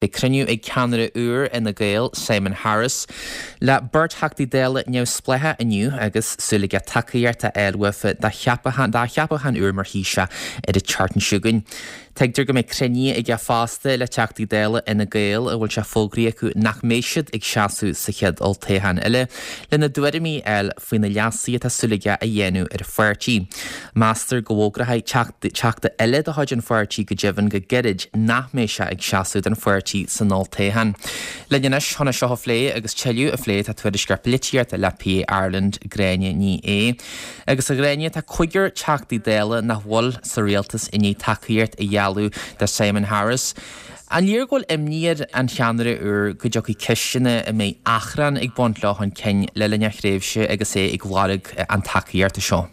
Beidh cruinniú ag ceannaire úr Fhine Gael, Simon Harris, le beirt Theachtaí Dála neamhspleácha inniu agus súil aige tacaíocht a fháil uafa dá cheapachán úr mar Thaoiseach ar an tseachtain seo chugainn. Tuigtear go mbeidh cruinnithe aige fosta le Teachtaí Dála Fhine Gael a bhfuil sé fógraithe acu nach mbeidh siad ag seasamh sa chéad olltoghchán eile, lena dtuairimí a fháil faoi na leasuithe atá súil aige a dhéanamh ar an pháirtí. Meastar go bhfógróidh teachta eile de chuid an pháirtí go deimhin go gairid nach mbeidh sé ag seasamh don pháirtí san olltoghchán. Linn anois chun é seo a phlé agus tuilleadh a phlé tá tuairisceoir polaitíochta le PA Ireland, Gráinne Ní Aodha. Agus a Ghráinne, tá cúigear Teachtaí Dála nach bhfuil sa rialtas i ndiaidh tacaíocht a ghealladh do Simon Harris. An léir go bhfuil imní ar an cheannaire úr go dtiocfaidh ceisteanna a mbeidh achrann ag baint leo chun cinn le linn a thréimhse agus é ag lorg an tacaíochta seo?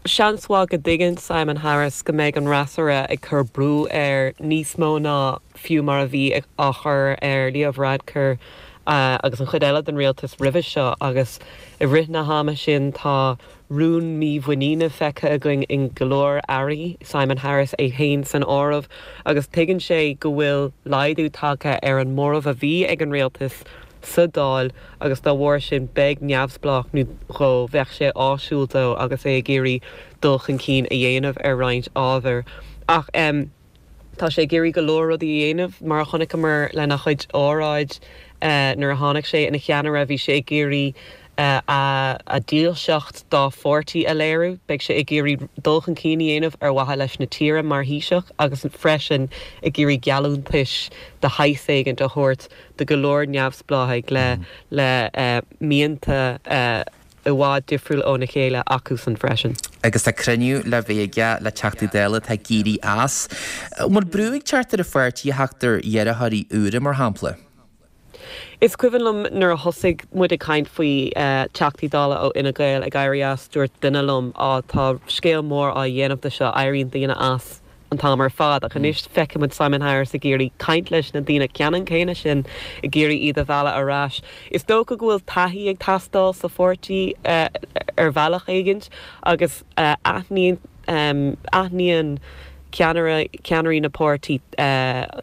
Seans mhaith go dtuigeann Simon Harris go mbeidh an fhreasúra ag cur brú air níos mó ná fiú mar a bhí á chur ar Leo Varadkar agus an chuid eile den rialtas roimhe seo agus i rith na hama sin tá rún mímhuiníne feicthe againn in go leor airí, Simon Harris é féin san áireamh, agus tuigeann sé go bhfuil laghdú tagtha ar an móramh a bhí ag an rialtas sa Dáil agus dá bharr sin beidh neamhspleách nó dhó, bheadh sé áisiúil dó agus é ag iarraidh dul chun cinn a dhéanamh ar roinnt ábhar. Ach. Tá sé ag iarraidh go leor rudaí a dhéanamh, mar a chonaiceamar lena chuid óráid nuair a tháinig sé ina cheannaire, bhí sé ag iarraidh a dhílseacht dá pháirtí a léiriú, beidh sé ag iarraidh dul chun cinn a dhéanamh ar mhaithe leis na tíre mar Thaoiseach agus freisin ag iarraidh geallúntais de shaghas éigint a thabhairt do go leor neamhspleáchaigh le mianta i bhfad difriúil óna chéile acusan freisin. Agus tá cruinniú le bheith aige le Teachtaí Dála atá ag éirí as. An bhfuil brú ag teacht ar an pháirtí a theacht ar iarrthóirí úra, mar shampla? Is cuimhin liom nuair a thosaigh muid ag caint faoi Teachtaí Dála ó Fhine Gael ag éirí as, dúirt duine liom, 'Á, tá scéal mór á dhéanamh de seo, éiríonn daoine as an t-am ar fad. Ach anois feicimid Simon Harris ag iarraidh caint leis na daoine ceannann céanna sin, ag iarraidh iad a mhealladh ar ais. Is dócha go bhfuil taithí ag teastáil sa pháirtí ar bhealach éigint agus aithníonn aithníonn ceannaire ceannairí na páirtí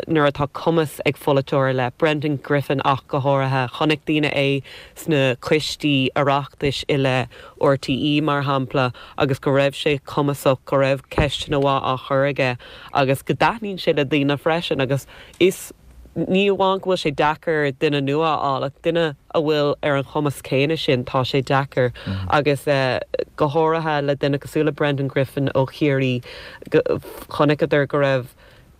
nuair atá cumas ag pholaiteoir ar leith, Brendan Griffin ach go háirithe. Chonaic daoine é sna coistí Oireachtais i leith RTÉ mar shampla agus go raibh sé cumasach, go raibh ceisteanna mhaith á chur aige agus go dtaitníonn sé le daoine freisin agus is ní amháin go bhfuil sé deacair duine nua a fháil ach duine a bhfuil ar an chumas céanna sin, tá sé deacair agus go háirithe le duine cosúil le Brendan Griffin ó Chiarraí, chonaiceadar go raibh.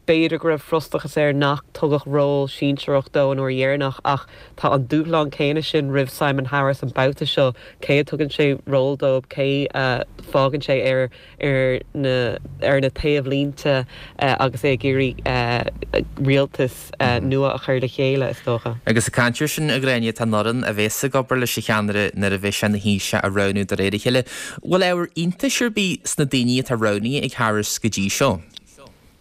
B'fhéidir go raibh frustrachas air nach tugadh ról sinsearach dó an uair dheireanach ach tá an dúshlán céanna sin roimh Simon Harris an babhta seo, cé a tugann sé ról dóibh, cé a fágann sé ar ar na ar na taobhlínte agus é ag iarraidh rialtas nua a chur le chéile, is dócha. Agus ag caint air sin, a Ghráinne, tá an fhoireann a bheas ag obair leis an cheannaire nuair a bheidh sé ina Thaoiseach á roghnú de réir a chéile. Bhfuil ábhar iontais ar bith sna daoine atá roghnaithe ag Harris go dtí seo?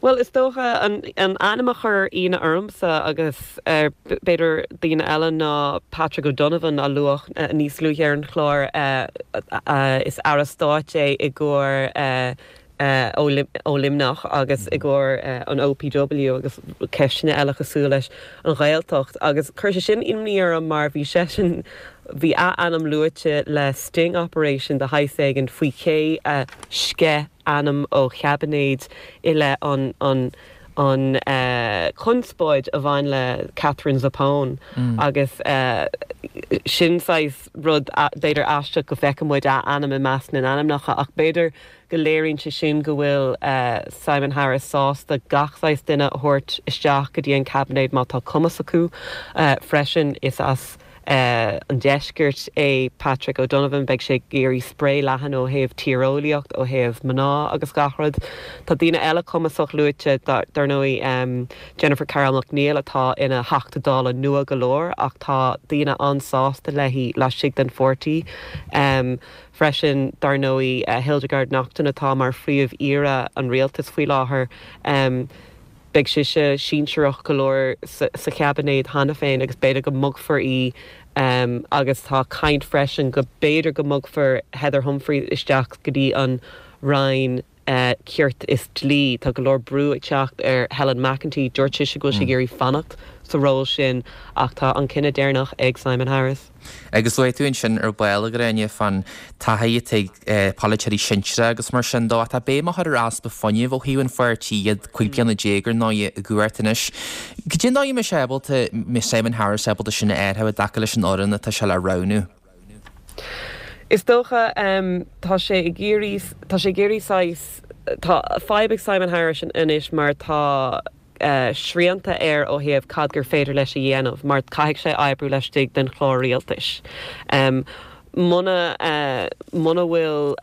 Bhuel, is dócha, an ainm a chuir ionadh ormsa agus ar b'fhéidir daoine eile ná Patrick O'Donovan a luadh níos luaithe ar an chlár. Is Aire Stáit é i gcomhair ó Luimneach agus i gcomhair an OPW agus ceisteanna eile cosúil leis an Ghaeltacht agus chuir sé sin imní orm mar bhí seisean, bhí a ainm luaite le sting operation de shaghas éigin faoi ché a sceith ainm ó chaibinéid i leith an an an chonspóid a bhain le Katherine Zappone agus sin saghas rud b'fhéidir aisteach go bhfeiceann muid a ainm i measc na n-ainmneacha ach b'fhéidir go léiríonn sé sin go bhfuil Simon Harris sásta gach saghas duine a thabhairt isteach go dtí an caibinéad má tá cumas acu. Freisin is as an deiscirt é Patrick O'Donovan. Beidh sé ag iarraidh spré leathan ó thaobh tíreolaíocht, ó thaobh mná agus gach rud. Tá daoine eile cumasach luaite, dar ndóigh, Jennifer Carroll MacNeill atá ina Theachta Dála nua go leor ach tá daoine an-sásta léi laistigh den pháirtí. Freisin, dar ndóigh, Hildegarde Naughton atá mar Phríomh-Aoire an Rialtais faoi láthair. Beidh sise sinsearach go leor sa chaibinéad cheana féin agus b'fhéidir go mbogfar í agus tá caint freisin go b'fhéidir go mbogfar Heather Humphreys isteach go dtí an Roinn. Cirt is Dlí. Tá go leor brú ag teacht ar Helen McEntee. Dúirt sise go bhfuil sí ag iarraidh fanacht sa ról sin ach tá an cinneadh deireanach ag Simon Harris. Agus luaigh tú ansin ar ball, a Ghráinne, fán taithí atá ag polaiteoirí sinsearacha agus mar sin dó. Ach tá béim á chur ar easpa fuinnimh ó thaobh an pháirtí, iad 15 bliana ar ndóigh i gcumhacht anois. Cad é an dóigh a mbeidh sé ábalta, mbeidh Simon Harris ábalta sin a áirithiú i dtaca leis an fhoireann atá sé le roghnú? Is dócha, tá sé ag iarraidh, tá sé ag iarraidh saghas, tá fadhb ag Simon Harris anois mar tá, srianta air ó thaobh cad gur féidir leis a dhéanamh mar caithfidh sé oibriú laistigh den chlár rialtais. Muna muna bhfuil,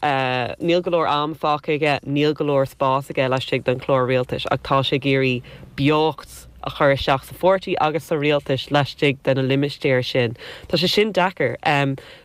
níl go leor am fágtha aige, níl go leor spás aige laistigh den chlár rialtais ach tá sé ag iarraidh beocht a chur isteach sa pháirtí agus sa rialtas laistigh de na limistéir sin. Tá sé sin deacair.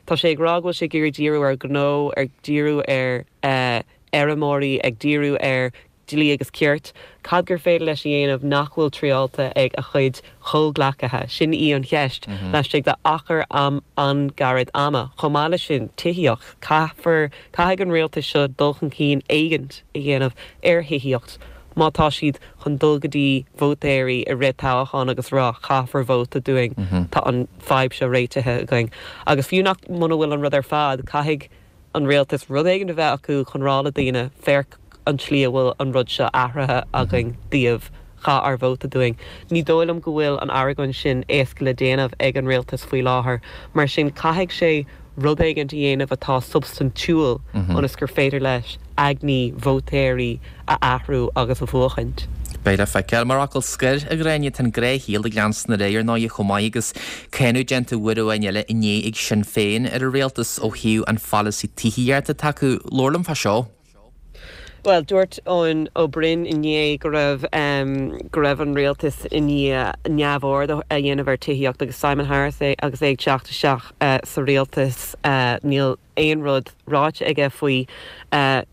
Tá sé ag rá go bhfuil sé ag iarraidh díriú ar ghnó, ag díriú ar fheirmeoirí, ag díriú ar dlí agus cirt, cad gur féidir leis a dhéanamh nach bhfuil triáilte ag a chuid chomhghleacaithe? Sin í an cheist laistigh de achar an-ghairid ama. Chomh maith leis sin, tithíocht. Caithfear, caithfidh an rialtas seo dul chun cinn éigint a dhéanamh ar thithíocht má tá siad chun dul go dtí vótóirí i rith toghcháin agus rá caithfear vóta dúinn, tá an fadhb seo réitithe againn. Agus fiú nach, muna bhfuil an rud ar fad, caithfidh. an rialtas rud éigin a bheith acu chun rá le daoine, féach an tslí a bhfuil an rud seo athraithe againn daoibh, caith ár vóta dúinn. Ní dóigh liom go bhfuil an argóint sin éasca le déanamh ag an rialtas faoi láthair. Mar sin caithfidh sé rud éigin a dhéanamh atá substaintiúil ionas gur féidir leis aigní vótóirí a athrú agus a bhuachaint. Beidh le feiceáil. Mar fhocal scoir, a Ghráinne, tá an gnáthshaol ag leanstan ar aghaidh, ar ndóigh, chomh maith agus cáineadh déanta uair amháin eile inné ag Sinn Féin ar an rialtas ó thaobh an pholasaí tithíochta atá acu. Labhair liom fá seo. Bhuel, dúirt Eoin Ó Broin inné go raibh go raibh an rialtas i ndiaidh neamhaird a dhéanamh ar tithíocht agus Simon Harris agus é ag teacht isteach sa rialtas níl aon rud ráite aige faoi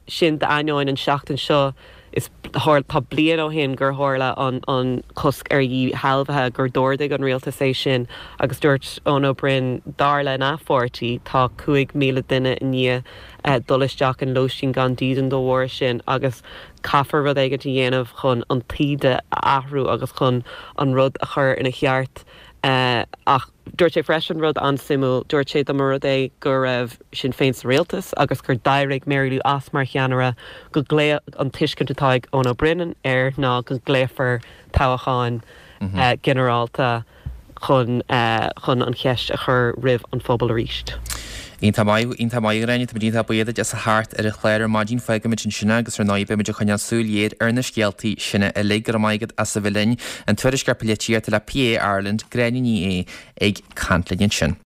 sin d'ainneoin an seachtain seo is tá bliain ó shin gur tharla an cosc ar dhíshealbhaithe, gur d'ordaigh an rialtas é sin agus dúirt Eoin Ó Broin dar lena pháirtí tá 5,000 duine i ndiaidh dul isteach in lóistín gan dídean dá bharr sin agus caithfear rud éigin a dhéanamh chun an taoide a athrú agus chun an rud a chur ina cheart ach Dúirt sé freisin rud an-suimiúil, dúirt sé dá mba rud é go raibh Sinn Féin sa rialtas agus gur d'éirigh Mary Lou as mar cheannaire go glaof an tuiscint atá ag Eoin Ó Broin air ná go nglaofar toghcháin ginearálta chun chun an cheist a chur roimh an phobal arís. Iontach maith, iontach maith a Ghráinne, táimid iontach buíoch duit as a theacht ar an chlár ar maidin, fágfaimid ansin é agus ar ndóigh beimid ag coinneáil súil ghéar ar na scéaltaí sin uilig. Go raibh maith agat as a bheith linn. An Tuairisceoir Polaitíochta le PA Ireland, Gráinne Ní Aodha ag caint linn ansin.